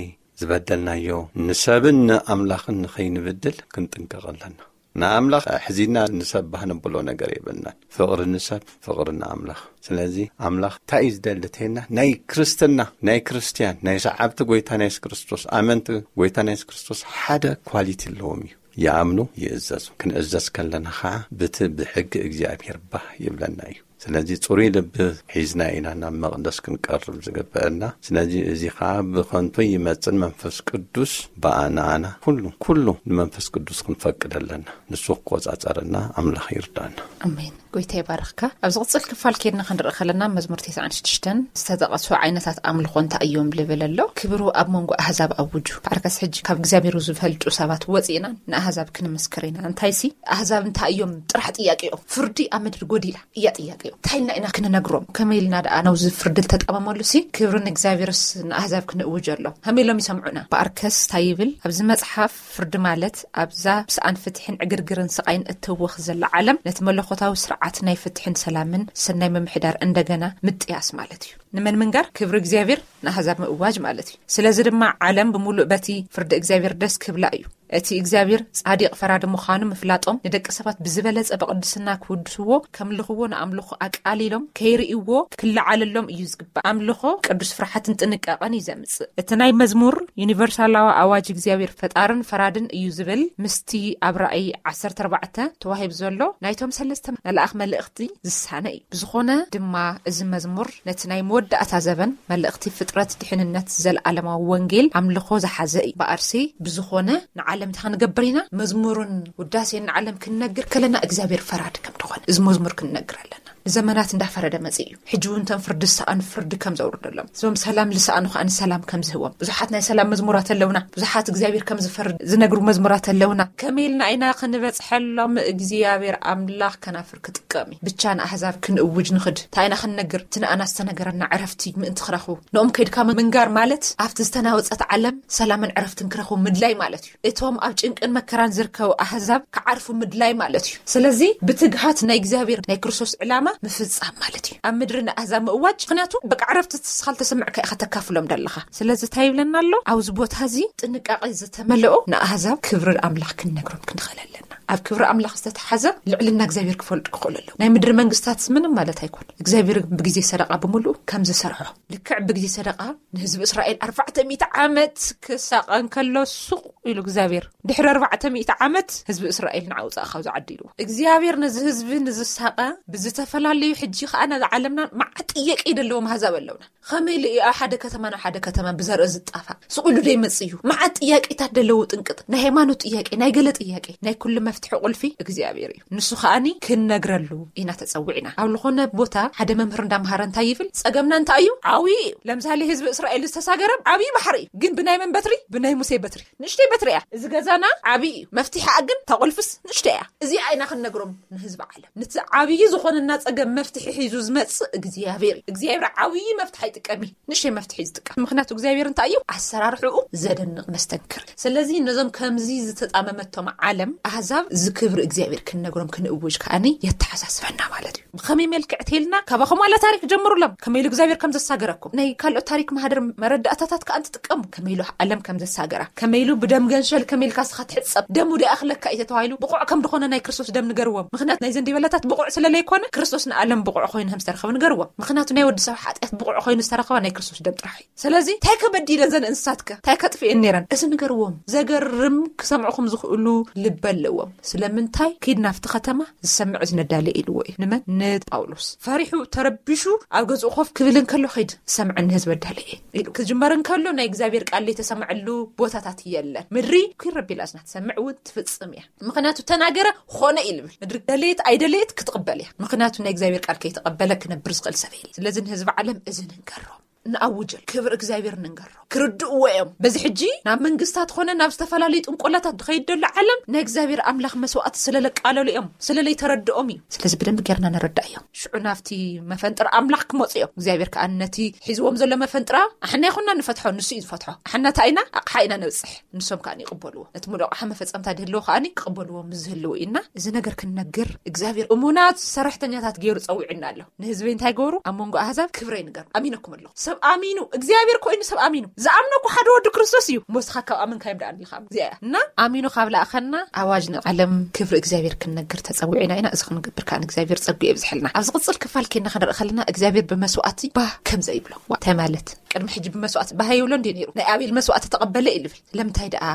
ዝበደልናዮ ንሰብን ንኣምላኽን ንኸይንብድል ክንጥንቀቕ ኣለና። ንኣምላኽ ሕዚና ንሰብ ባህ ነብሎ ነገር የብልናን። ፍቕሪ ንሰብ፣ ፍቕሪ ንኣምላኽ። ስለዚ ኣምላኽ እንታይ እዩ ዝደሊ ተይልና፣ ናይ ክርስትና፣ ናይ ክርስትያን፣ ናይ ሰዓብቲ ጎይታ ናይ የሱስ ክርስቶስ፣ ኣመንቲ ጎይታ ናይ የሱስ ክርስቶስ ሓደ ኳሊቲ ኣለዎም እዩ። ይኣምኑ፣ ይእዘዙ። ክንእዘዝ ከለና ኸዓ ብቲ ብሕጊ እግዚኣብሔር ባህ ይብለና እዩ። ስለዚ ጽሩይ ልቢ ሒዝና ኢና ናብ መቕደስ ክንቀርብ ዝግበአና። ስለዚ እዚ ኸዓ ብኸንቱ ይመጽን መንፈስ ቅዱስ ብኣና ኣና ኩሉ፣ ኩሉ ንመንፈስ ቅዱስ ክንፈቅድ ኣለና። ንሱ ክቆጻጸረና ኣምላኽ ይርዳና። ኣሜን። ጎይታ ይባርኽካ። ኣብ ዝቕጽል ክፋል ኬድና ክንርኢ ከለና መዝሙር ተስዓን ሽዱሽተን ዝተጠቐሱ ዓይነታት ኣምልኾ እንታይ እዮም ልብል ኣሎ። ክብሩ ኣብ መንጎ ኣህዛብ ኣውጁ። ብዓርከስ ሕጂ ካብ እግዚኣብሔር ዝፈልጡ ሰባት ወጺእና ንኣህዛብ ክንምስክር ኢና። እንታይሲ ኣህዛብ እንታይ እዮም ጥራሕ ጥያቄኦም። ፍርዲ ኣብ ምድሪ ጎዲላ እያ ጥያቄኦም። እንታይ ኢልና ኢና ክንነግሮም? ከመይ ኢልና ደኣ ናብዚ ፍርዲ ዝተጣመመሉ ሲ ክብሪ ንእግዚኣብሔርስ ንኣህዛብ ክንእውጀሎም? ከመይ ኢሎም ይሰምዑና? ብዓርከስ እንታይ ይብል? ኣብዚ መጽሓፍ ፍርዲ ማለት ኣብዛ ብስኣን ፍትሕን ዕግርግርን ስቓይን እትህወኽ ዘላ ዓለም ነቲ መለኮታዊ ስርዓት ናይ ፍትሕን ሰላምን ሰናይ ምምሕዳር እንደገና ምጥያስ ማለት እዩ። ንመን ምንጋር? ክብሪ እግዚኣብሔር ንኣህዛብ ምእዋጅ ማለት እዩ። ስለዚ ድማ ዓለም ብምሉእ በቲ ፍርዲ እግዚኣብሔር ደስ ክብላ እዩ። እቲ እግዚኣብሔር ጻዲቕ ፈራዲ ምዃኑ ምፍላጦም ንደቂ ሰባት ብዝበለጸ ብቕድስና ክውድስዎ፣ ከምልኽዎ፣ ንኣምልኾ ኣቃሊሎም ከይርእይዎ ክለዓለሎም እዩ ዝግባእ። ኣምልኾ ቅዱስ ፍርሓትን ጥንቃቐን እዩ ዘምጽእ። እቲ ናይ መዝሙር ዩኒቨርሳላዊ ኣዋጅ እግዚኣብሔር ፈጣርን ፈራድን እዩ ዝብል ምስቲ ኣብ ራእይ ዓሰርተ ኣርባዕተ ተዋሂቡ ዘሎ ናይቶም ሰለስተ መልኣኽ መልእኽቲ ዝሳነ እዩ። ብዝኾነ ድማ እዚ መዝሙር ነቲ ናይ መወዳእታ ዘበን መልእኽቲ ፍጥረት ድሕንነት ዘለዓለማዊ ወንጌል ኣምልኾ ዝሓዘ እዩ። ብኣርሲ ብዝኾነ ንዓለም እንታይ ክንገብር ኢና? መዝሙርን ውዳሴን ንዓለም ክንነግር ከለና እግዚኣብሔር ፈራዲ ከም ዝኾነ እዚ መዝሙር ክንነግር ኣለና። ንዘመናት እንዳፈረደ መጽእ እዩ። ሕጂ እውን እቶም ፍርዲ ዝሰኣኑ ፍርዲ ከም ዘውርደሎም፣ እዞም ሰላም ዝሰኣኑ ከኣ ሰላም ከም ዝህቦም፣ ብዙሓት ናይ ሰላም መዝሙራት ኣለውና። ብዙሓት እግዚኣብሔር ከም ዝፈርድ ዝነግሩ መዝሙራት ኣለውና። ከመይ ኢልና ኢና ክንበጽሐሎም? እግዚኣብሔር ኣምላኽ ከናፍር ክጥቀም እዩ። ብቻ ንኣህዛብ ክንእውጅ ንኽድ። እንታይ ኢና ክንነግር? እቲ ንኣና ዝተነገረና ዕረፍቲ ምእንቲ ክረኽቡ። ንኦም ከይድካ ምንጋር ማለት ኣብቲ ዝተናወጸት ዓለም ሰላምን ዕረፍትን ክረኽቡ ምድላይ ማለት እዩ። እቶም ኣብ ጭንቅን መከራን ዝርከቡ ኣህዛብ ክዓርፉ ምድላይ ማለት እዩ። ስለዚ ብትግሃት ናይ እግዚኣብሔር ናይ ክርስቶስ ዕላማ ምፍጻም ማለት እዩ። ኣብ ምድሪ ንኣህዛብ ምእዋጅ፣ ምኽንያቱ በቃ ዕረፍቲ እስኻ ዝተሰምዕካ ኢኻ ተካፍሎም ደለኻ። ስለዚ እንታይ ይብለና ኣሎ? ኣብዚ ቦታ እዚ ጥንቃቄ ዝተመልኦ ንኣህዛብ ክብሪ ኣምላኽ ክንነግሮም ክንኽእል ኣለና። ኣብ ክብሪ ኣምላኽ ዝተተሓዘ ልዕልና እግዚኣብሔር ክፈልጡ ክኽእሉ ኣለዉ። ናይ ምድሪ መንግስታት ምንም ማለት ኣይኮን። እግዚኣብሔር ብግዜ ሰደቓ ብምሉኡ ከም ዝሰርሖ፣ ልክዕ ብግዜ ሰደቓ ንህዝቢ እስራኤል ኣርባዕተ ሚእቲ ዓመት ክሳቐ እንከሎ ሱቕ ኢሉ እግዚኣብሔር ድሕሪ ኣርባዕተ ሚእቲ ዓመት ህዝቢ እስራኤል ንዓ ውጻእ ካብዚ ዓዲ ኢልዎ። እግዚኣብሔር ነዚ ህዝቢ ንዝሳቐ ብዝተፈላለዩ ሕጂ ከኣ ነዚ ዓለምና መዓት ጥያቄ ዘለዎም ኣህዛብ ኣለውና። ከመይ ኢሉ እዩ ኣብ ሓደ ከተማ ናብ ሓደ ከተማ ብዘርኢ ዝጣፋእ? ስቕ ኢሉ ዶ ይመጽእ እዩ? መዓት ጥያቄታት ደለዎ ጥንቅጥ። ናይ ሃይማኖት ጥያቄ፣ ናይ ገለ ጥያቄ፣ ናይ ኩሉ መፍትሒ ቁልፊ እግዚኣብሔር እዩ። ንሱ ከኣኒ ክንነግረሉ ኢና ተጸዊዕና። ኣብ ዝኾነ ቦታ ሓደ መምህር እንዳምሃረ እንታይ ይብል? ጸገምና እንታይ እዩ? ዓብዪ እዩ። ለምሳሌ ህዝቢ እስራኤል ዝተሳገረ ዓብዪ ባሕሪ እዩ። ግን ብናይ መን በትሪ? ብናይ ሙሴ በትሪ። ንእሽተይ በትሪ እያ። እዚ ገዛና ዓብዪ እዩ። መፍትሒኣ ግን እታ ቁልፍስ ንእሽተይ እያ። እዚኣ ኢና ክንነግሮም ንህዝቢ ዓለም። ነቲ ዓብዪ ዝኾነና ጸገም መፍትሒ ሒዙ ዝመጽእ እግዚኣብሔር እዩ። እግዚኣብሔር ዓብዪ መፍትሒ ኣይጥቀም እዩ። ንእሽተይ መፍትሒ እዩ ዝጥቀም። ምኽንያቱ እግዚኣብሔር እንታይ እዩ? ኣሰራርሕኡ ዘደንቕ መስተንክር። ስለዚ ነዞም ከምዚ ዝተጣመመቶም ዓለም ኣህዛብ እዚ ክብሪ እግዚኣብሔር ክንነግሮም ክንእውጅ ከኣኒ የተሓሳስበና ማለት እዩ። ብኸመይ መልክዕ ተልና? ካባኹም ዋላ ታሪክ ጀምሩሎም፣ ከመይ ኢሉ እግዚኣብሔር ከም ዘሳገረኩም። ናይ ካልኦት ታሪክ ማህደር መረዳእታታት ከኣ እንትጥቀሙ፣ ከመይ ኢሉ ዓለም ከም ዘሳገራ፣ ከመይ ኢሉ ብደም ገንሸል ከመይ ኢልካ ስኻ ትሕጸብ፣ ደሙ ደኣ ክለካ እዩ ተባሂሉ ብቑዕ ከም ዝኾነ ናይ ክርስቶስ ደም ንገርዎም። ምኽንያት ናይ ዘንዲበላታት ብቑዕ ስለለይኮነ፣ ክርስቶስ ንዓለም ብቑዕ ኮይኑ ከም ዝተረኸበ ንገርዎም። ምኽንያቱ ናይ ወዲ ሰብ ሓጢኣት ብቑዕ ኮይኑ ዝተረኸበ ናይ ክርስቶስ ደም ጥራሕ እዩ። ስለዚ እንታይ ከበዲለን ዘን እንስሳትከ እንታይ ከጥፍኤን ነይረን? እዚ ንገርዎም። ዘገርም ክሰምዕኹም ዝኽእሉ ልቢ ኣለዎም። ስለምንታይ? ኪድ ናብቲ ከተማ ዝሰምዕ ዝነዳለ ኢልዎ እዩ። ንመን? ንጳውሎስ። ፈሪሑ ተረቢሹ ኣብ ገዝኡ ኮፍ ክብል እንከሎ ኸይድ ዝሰምዐኒ ህዝቢ ኣዳለ እየ ኢሉ ክጅመር እንከሎ ናይ እግዚኣብሔር ቃል ዘይተሰምዐሉ ቦታታት የለን። ምድሪ ኪረቢላ ዝና ትሰምዕ እውን ትፍጽም እያ። ምኽንያቱ ተናገረ ኾነ እዩ ልብል። ምድሪ ደለየት ኣይደለየት ክትቕበል እያ። ምኽንያቱ ናይ እግዚኣብሔር ቃል ከይተቐበለ ክነብር ዝኽእል ሰብ የለ። ስለዚ ንህዝቢ ዓለም እዚ ንንገሮም። ንኣውጀል ክብሪ እግዚኣብሔር ንንገሮ ክርድእዎ እዮም። በዚ ሕጂ ናብ መንግስታት ኾነ ናብ ዝተፈላለዩ ጥንቆላታት ዝኸይድ ዘሎ ዓለም ናይ እግዚኣብሔር ኣምላኽ መስዋዕቲ ስለለቃለሉ እዮም፣ ስለለይተረድኦም እዩ። ስለዚ ብደንብ ጌርና ንረዳእ እዮም። ሽዑ ናብቲ መፈንጥር ኣምላኽ ክመፁ እዮም። እግዚኣብሔር ከዓ ነቲ ሒዝዎም ዘሎ መፈንጥራ ኣሕና ይኹንና ንፈትሖ፣ ንሱ እዩ ዝፈትሖ። ኣሕና እንታይ ኢና? ኣቕሓ ኢና ነብፅሕ፣ ንሶም ከዓ ይቕበልዎ። ነቲ ሙሉእ ኣቕሓ መፈፀምታ ድህልዎ ከዓ ክቕበልዎ ምስ ዝህልዎ ኢና እዚ ነገር ክንነግር እግዚኣብሔር እሙናት ሰራሕተኛታት ገይሩ ፀዊዕና ኣሎ። ንህዝበይ እንታይ ገበሩ? ኣብ መንጎ ኣህዛብ ክብረይ ንገሩ። ኣሚነኩም ኣለኹ። ሰብ ኣሚኑ፣ እግዚኣብሔር ኮይኑ ሰብ ኣሚኑ። ዝኣምነኩ ሓደ ወዲ ክርስቶስ እዩ። እሞ እስኻ ካብ ኣመንካዮም ደኣ ኣለኻ እዚኣ እያ። እና ኣሚኑ ካብ ለኣኸና ኣዋጅ ንዓለም ክብሪ እግዚኣብሔር ክንነግር ተጸዊዕና ኢና። እዚ ክንገብር ከኣ እግዚኣብሔር ጸጉ የብዝሐልና። ኣብ ዝቕጽል ክፋል ኬና ክንርኢ ከለና እግዚኣብሔር ብመስዋዕቲ ባህ ከም ዘይብሎ። ዋ፣ እንታይ ማለት? ቅድሚ ሕጂ ብመስዋዕቲ ባህ ይብሎ እንዲዩ ነይሩ። ናይ ኣቤል መስዋዕቲ ተቐበለ እዩ ዝብል። ስለምንታይ ደኣ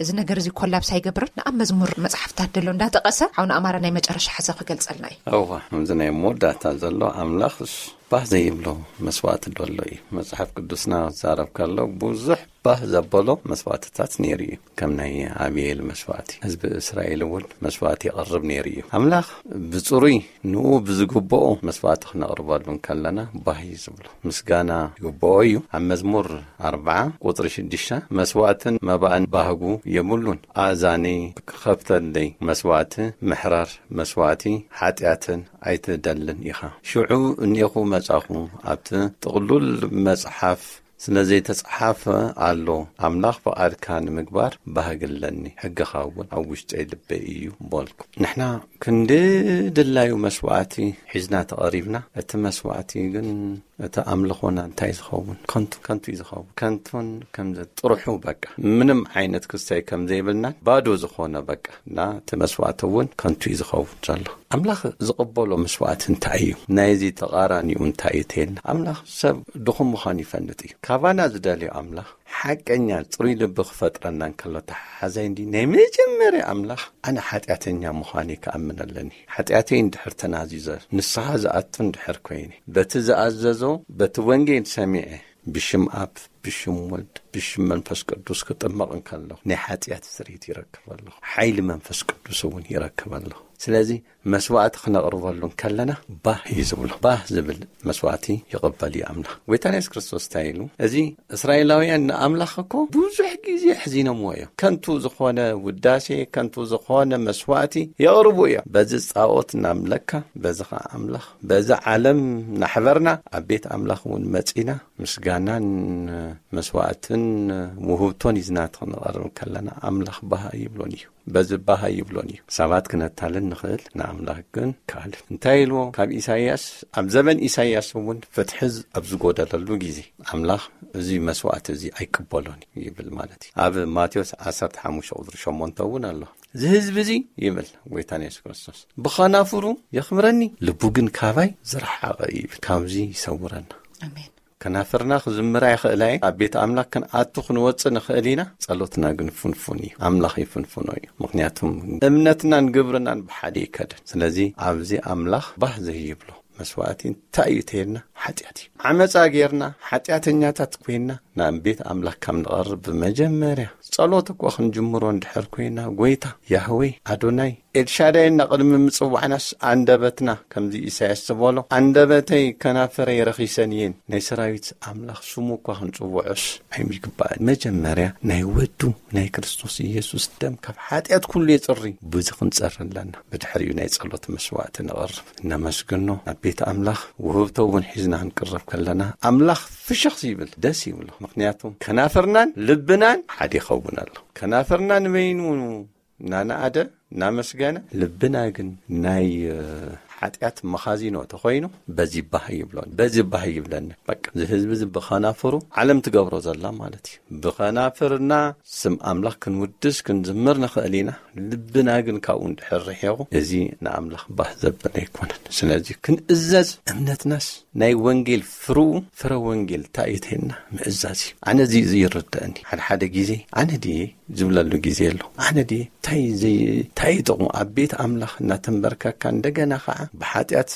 እዚ ነገር እዚ ኮላፕስ ኣይገብርን? ንኣብ መዝሙር መጽሓፍታት ደሎ እንዳጠቐሰ ሓውና ኣማረ ናይ መጨረሻ ሓሳብ ክገልጸልና እዩ። እዋ፣ ከምዚ ናይ መወዳእታ ዘሎ ኣምላኽስ ባህ ዘይብሎ መስዋዕቲ ደሎ እዩ። መጽሓፍ ቅዱስና ዝዛረብ ከሎ ብዙሕ ባህ ዘበሎ መስዋዕትታት ነይሩ እዩ። ከም ናይ ኣቤል መስዋዕቲ፣ ህዝቢ እስራኤል እውን መስዋዕቲ የቕርብ ነይሩ እዩ። ኣምላኽ ብጽሩይ ንኡ ብዝግብኦ መስዋዕቲ ክነቕርበሉ እንከለና ባህ እዩ ዝብሎ። ምስጋና ይግብኦ እዩ። ኣብ መዝሙር ኣርብዓ ቁጽሪ ሽዱሽተ፣ መስዋዕትን መባእን ባህጉ የብሉን። ኣእዛነይ ክኸፍተለይ መስዋዕቲ ምሕራር መስዋዕቲ ሓጢኣትን ኣይትደልን ኢኻ። ሽዑ እኔኹ መጻኹ፣ ኣብቲ ጥቕሉል መጽሓፍ ስለ ዘይተጸሓፈ ኣሎ፣ ኣምላኽ ፍቓድካ ንምግባር ባህጊ ኣለኒ፣ ሕግኻ እውን ኣብ ውሽጠይ ልበይ እዩ በልኩ። ንሕና ክንዲ ድላዩ መስዋዕቲ ሒዝና ተቐሪብና፣ እቲ መስዋዕቲ ግን እቲ ኣምልኾና እንታይ ዝኸውን? ከንቱ፣ ከንቱ እዩ ዝኸውን። ከንቱን ከም ዘ-፣ ጥርሑ በቃ ምንም ዓይነት ክስተይ ከም ዘይብልና ባዶ ዝኾነ በቃ እና እቲ መስዋዕቲ እውን ከንቱ እዩ ዝኸውን ዘሎ። ኣምላኽ ዝቕበሎ መስዋዕቲ እንታይ እዩ? ናይዚ ተቓራኒኡ እንታይ እዩ ተይልና? ኣምላኽ ሰብ ድኹም ምዃኑ ይፈልጥ እዩ። ካባና ዝደልዮ ኣምላኽ ሓቀኛ ጽሩይ ልቢ ክፈጥረና እንከሎ ተሓሓዛይ እንዲ ናይ መጀመርያ ኣምላኽ ኣነ ሓጢኣተኛ ምዃነይ ክኣምን ኣለኒ። ሓጢኣተይ እንድሕር ተናዚዘ ንስሓ ዝኣቱ እንድሕር ኮይነ በቲ ዝኣዘዞ በቲ ወንጌል ሰሚዐ ብሽም ኣብ ብሽም ወልድ ብሽም መንፈስ ቅዱስ ክጥመቕ እንከለኹ ናይ ሓጢኣት ስርኢት ይረክብ ኣለኹ። ሓይሊ መንፈስ ቅዱስ እውን ይረክብ ኣለኹ። ስለዚ መስዋዕቲ ክነቕርበሉ እንከለና ባህ እዩ ዝብሎ። ባህ ዝብል መስዋዕቲ ይቕበል እዩ ኣምላኽ። ጎይታና የሱስ ክርስቶስ እንታይ ኢሉ? እዚ እስራኤላውያን ንኣምላኽ እኮ ብዙሕ ግዜ ኣሕዚኖምዎ እዮም። ከንቱ ዝኾነ ውዳሴ፣ ከንቱ ዝኾነ መስዋዕቲ የቕርቡ እዮም። በዚ ጻኦት እናምለካ፣ በዚ ኸዓ ኣምላኽ፣ በዚ ዓለም እናሕበርና ኣብ ቤት ኣምላኽ እውን መጺና ምስጋናን መስዋዕትን ውህብቶን ሒዝና ክንቐርብ ከለና ኣምላኽ ባህ ኣይብሎን እዩ። በዚ ባህ ኣይብሎን እዩ። ሰባት ክነታልን ንኽእል፣ ንኣምላኽ ግን ካልእ። እንታይ ኢልዎ? ካብ ኢሳይያስ፣ ኣብ ዘበን ኢሳይያስ እውን ፍትሒ ኣብ ዝጎደለሉ ግዜ ኣምላኽ እዚ መስዋዕቲ እዚ ኣይቅበሎን እዩ ይብል ማለት እዩ። ኣብ ማቴዎስ ዓሰርተ ሓሙሽተ ቁጽሪ ሸሞንተ እውን ኣሎ። እዚ ህዝቢ እዚ ይብል ጎይታና የሱስ ክርስቶስ፣ ብኸናፍሩ የኽብረኒ፣ ልቡ ግን ካባይ ዝረሓቐ እዩ ይብል። ካብዚ ይሰውረና። ኣሜን። ከናፍርና ክዝምራ ይኽእላ እየን። ኣብ ቤት ኣምላኽ ክንኣቱ ክንወጽእ ንኽእል ኢና። ጸሎትና ግን ፍንፉን እዩ። ኣምላኽ ይፍንፍኖ እዩ። ምኽንያቱም እምነትናን ግብርናን ብሓደ ይከደን። ስለዚ ኣብዚ ኣምላኽ ባህ ዘይብሎ መስዋዕቲ እንታይ እዩ ተይልና? ሓጢኣት እዩ። ዓመጻ ጌርና፣ ሓጢኣተኛታት ኮይና ናብ ቤት ኣምላኽ ካብ ንቐርብ ብመጀመርያ ጸሎት እኳ ክንጅምሮ እንድሕር ኮይና፣ ጎይታ፣ ያህዌ፣ ኣዶናይ፣ ኤልሻዳይ እና ቅድሚ ምጽዋዕናስ ኣንደበትና፣ ከምዚ ኢሳያስ ዝበሎ፣ ኣንደበተይ ከናፈረይ ረኺሰን እየን፣ ናይ ሰራዊት ኣምላኽ ስሙ እኳ ክንጽውዖስ ኣይምግባእን። መጀመርያ ናይ ወዱ ናይ ክርስቶስ ኢየሱስ ደም ካብ ሓጢኣት ኩሉ የጽሪ። ብዙ ክንጸሪ ኣለና። ብድሕሪኡ ናይ ጸሎት መስዋዕቲ ንቐርብ። እነመስግኖ። ኣብ ቤት ኣምላኽ ውህብቶ እውን ሒዝና ክንቅረብ ከለና ኣምላኽ ፍሽኽ ይብል፣ ደስ ይብሎ። ምኽንያቱ ከናፍርናን ልብናን ሓደ ይኸውን ኣሎ። ከናፍርና ንበይኑ እናነኣደ እናመስገነ፣ ልብና ግን ናይ ሓጢኣት መኻዚኖ ተኾይኑ፣ በዚ ባህ ይብሎን በዚ ባህ ይብለኒ። በቃ እዚ ህዝቢ እዚ ብኸናፍሩ ዓለም ትገብሮ ዘላ ማለት እዩ። ብኸናፍርና ስም ኣምላኽ ክንውድስ ክንዝምር ንኽእል ኢና። ልብና ግን ካብኡ እንድሕር ርሒቑ፣ እዚ ንኣምላኽ ባህ ዘብል ኣይኮነን። ስለዚ ክንእዘዝ፣ እምነትናስ ናይ ወንጌል ፍርኡ፣ ፍረ ወንጌል እንታይ እዩ ተይልና ምእዛዝ እዩ። ኣነ እዚ፣ እዚ ይርድኣኒ። ሓደ ሓደ ግዜ ኣነ ድየ ዝብለሉ ግዜ ኣሎ። ኣነ ድየ እንታይ ዘይ-፣ እንታይ ጥቕሙ ኣብ ቤት ኣምላኽ እናተንበርከካ፣ እንደገና ኸዓ ብሓጢኣት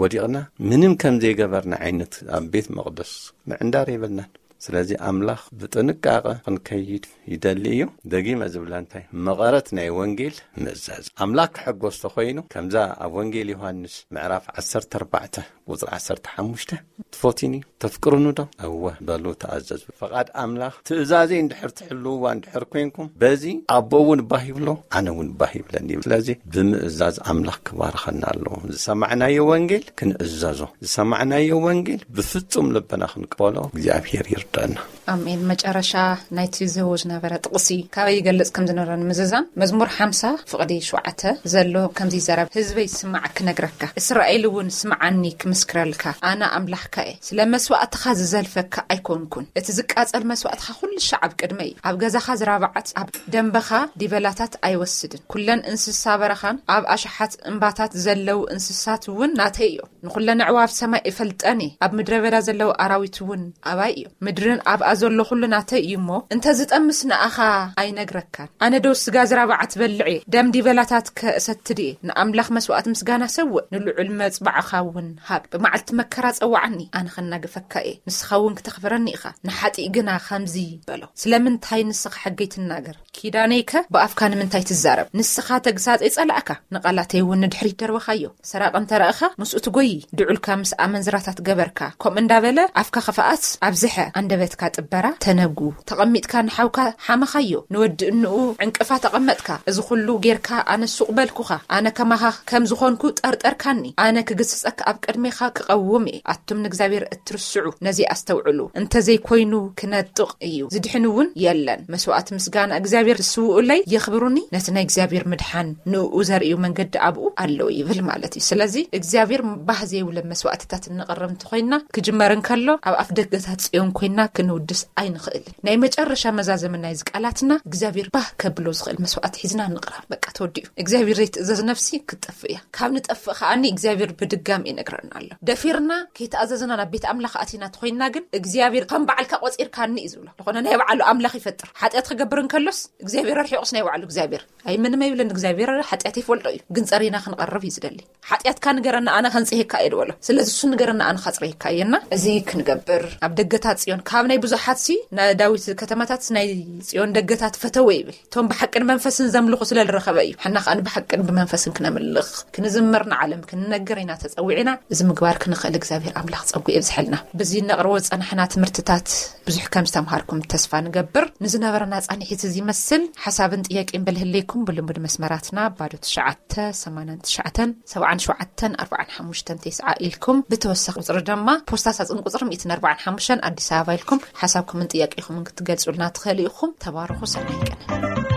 ወዲቕና ምንም ከም ዘይገበርና ዓይነት ኣብ ቤት መቕደስ ምዕንዳር የብልናን። ስለዚ ኣምላኽ ብጥንቃቐ ክንከይድ ይደሊ እዩ። ደጊመ ዝብላ እንታይ፣ መቐረት ናይ ወንጌል ምእዛዝ። ኣምላኽ ክሕጎስ ተኾይኑ፣ ከምዛ ኣብ ወንጌል ዮሃንስ ምዕራፍ ዓሰርተ ኣርባዕተ ቁጽሪ ዓሰርተ ሓሙሽተ፣ "ትፈትዩኒ፣ ተፍቅሩኒ ዶ? እወ በሉ፣ ተኣዘዙ። ፈቓድ ኣምላኽ፣ ትእዛዘይ እንድሕር ትሕልውዋ እንድሕር ኮንኩም፣ በዚ ኣቦ እውን ባህ ይብሎ፣ ኣነ እውን ባህ ይብለኒ" ይብል። ስለዚ ብምእዛዝ ኣምላኽ ክባርኸና ኣለዎ። ዝሰማዕናዮ ወንጌል ክንእዘዞ፣ ዝሰማዕናዮ ወንጌል ብፍጹም ልብና ክንቀበሎ እግዚኣብሔር ይርዳና። ኣሜን። መጨረሻ ናይቲ ዝህቦ ዝነበረ ጥቕሲ ካበይ ይገልጽ ከም ዝነበረ ንምዝዛም፣ መዝሙር ሓምሳ ፍቕዲ ሸውዓተ ዘሎ ከምዚ ይዛረብ፣ "ህዝበይ ስማዕ ክነግረካ፣ እስራኤል እውን ስምዓኒ ክምስክረልካ፣ ኣነ ኣምላኽካ እየ። ስለ መስዋእትኻ ዝዘልፈካ ኣይኮንኩን፣ እቲ ዝቃጸል መስዋእትኻ ኩሉ ሻዕ ኣብ ቅድመይ እዩ። ኣብ ገዛኻ ዝራብዓት፣ ኣብ ደንበኻ ዲበላታት ኣይወስድን። ኩለን እንስሳ በረኻን ኣብ ኣሽሓት እምባታት ዘለዉ እንስሳት እውን ናተይ እዮም። ንኹለን ኣዕዋፍ ሰማይ እፈልጠን እየ፣ ኣብ ምድረ በዳ ዘለዉ ኣራዊት እውን ኣባይ እዮም። ምድርን ኣብኣ ዘሎ ኩሉ ናተይ እዩ እሞ፣ እንተ ዝጠምስ ንኣኻ ኣይነግረካን። ኣነ ዶ ስጋ ዝራብዓ ትበልዕ እየ? ደም ዲበላታት ከእሰትድ እየ? ንኣምላኽ መስዋእቲ ምስጋና ሰውእ፣ ንልዑል መጽባዕኻ እውን ሃብ። ብመዓልቲ መከራ ጸውዓኒ፣ ኣነ ኸናግፈካ እየ፣ ንስኻ እውን ክተኽብረኒ ኢኻ። ንሓጢእ ግና ኸምዚ በሎ፣ ስለምንታይ ንስኻ ሕገይ ትናገር? ኪዳነይከ ብኣፍካ ንምንታይ ትዛረብ? ንስኻ ተግሳጸይ ጸላእካ፣ ንቓላተይ እውን ንድሕሪት ደርበኻዮ። ሰራቒ እንተ ረኣኻ፣ ምስኡ ትጎዪ፣ ድዑልካ ምስ ኣመንዝራታት ገበርካ፣ ከምኡ እንዳበለ ኣፍካ ኽፍኣት ኣብዝሐ፣ ኣንደበትካ ጥበራ ተነጉ። ተቐሚጥካ ንሓውካ ሓመኻዮ፣ ንወዲ እንኡ ዕንቅፋ ተቐመጥካ። እዚ ኹሉ ጌርካ ኣነ ሱቕ በልኩኻ፣ ኣነ ከማኻ ከም ዝኾንኩ ጠርጠርካኒ። ኣነ ክግስጸካ ኣብ ቅድሜኻ ክቐውም እየ። ኣቱም ንእግዚኣብሔር እትርስዑ፣ ነዚ ኣስተውዕሉ። እንተ ዘይኮይኑ ክነጥቕ እዩ፣ ዝድሕን እውን የለን። መስዋእቲ ምስጋና እግዚኣብሔር ዝስውኡለይ የኽብሩኒ፣ ነቲ ናይ እግዚኣብሔር ምድሓን ንእኡ ዘርእዩ መንገዲ ኣብኡ ኣለዉ ይብል ማለት እዩ። ስለዚ እግዚኣብሔር ባህ ዘይብለ መስዋእትታት እንቕርብ እንተኾይንና፣ ክጅመር እንከሎ ኣብ ኣፍ ደገታት ጽዮን ኮይንና ክንውድስ ኣይንኽእልን። ናይ መጨረሻ መዛዘሚ ናይዚ ቃላትና እግዚኣብሔር ባህ ከብሎ ዝኽእል መስዋእቲ ሒዝና ንቕረብ። በቃ ተወዲኡ። እግዚኣብሔር ዘይትእዘዝ ነፍሲ ክትጠፍእ እያ። ካብ ንጠፍእ ከኣኒ እግዚኣብሔር ብድጋሚ ይነግረና ኣሎ። ደፊርና ከይተኣዘዝና ናብ ቤት ኣምላኽ ኣቲና ተኾይንና ግን እግዚኣብሔር ከም በዓልካ ቆጺርካኒ እዩ ዝብሎ። ዝኾነ ናይ ባዕሉ ኣምላኽ ይፈጥር። ሓጢኣት ክገብር እንከሎስ እግዚኣብሔር ኣርሒቑስ ናይ ባዕሉ እግዚኣብሔር። ኣይ ምንም ኣይብልን እግዚኣብሔር፣ ሓጢኣት ይፈልጦ እዩ። ግን ጸሪና ክንቐርብ እዩ ዝደሊ። ሓጢኣትካ ንገረና ኣነ ከንጽሄካ እየ ዝበሎ። ስለዚ እሱ ንገረና ኣነ ካጽረየካ እየና። እዚ ክንገብር ኣብ ደገታት ጽዮን ካብ ናይ ብዙሓት ሲ ናይ ዳዊት ከተማታት ናይ ጽዮን ደገታት ፈተወ ይብል። እቶም ብሓቅን መንፈስን ዘምልኹ ስለ ዝረኸበ እዩ። ሓና ከኣ ብሓቅን ብመንፈስን ክነምልኽ፣ ክንዝምር፣ ንዓለም ክንነግር ኢና ተጸዊዕና። እዚ ምግባር ክንኽእል እግዚኣብሔር ኣምላኽ ጸጉ የብዝሐልና። በዚ ነቕርቦ ዝጸናሕና ትምህርትታት ብዙሕ ከም ዝተምሃርኩም ተስፋ ንገብር። ንዝነበረና ጻንሒት እዚ ይመስል። ሓሳብን ጥያቄን በልህለይኩም ብልሙድ መስመራትና ባዶ ትሽዓተ፣ ሰማንያን ትሽዓተን፣ ሰብዓን ሸውዓተን፣ ኣርባዓን ሓሙሽተን፣ ተስዓ ኢልኩም፣ ብተወሳኺ ቁጽሪ ድማ ፖስታ ሳጽን ቁጽሪ ሚእትን ኣርባዓን ሓሙሽተን ኣዲስ ኣበባ ኢልኩም ሓሳብኩምን ጥያቄኹምን ክትገልጹልና ትኽእሉ ኢኹም። ተባረኹ። ሰናይ ቀን።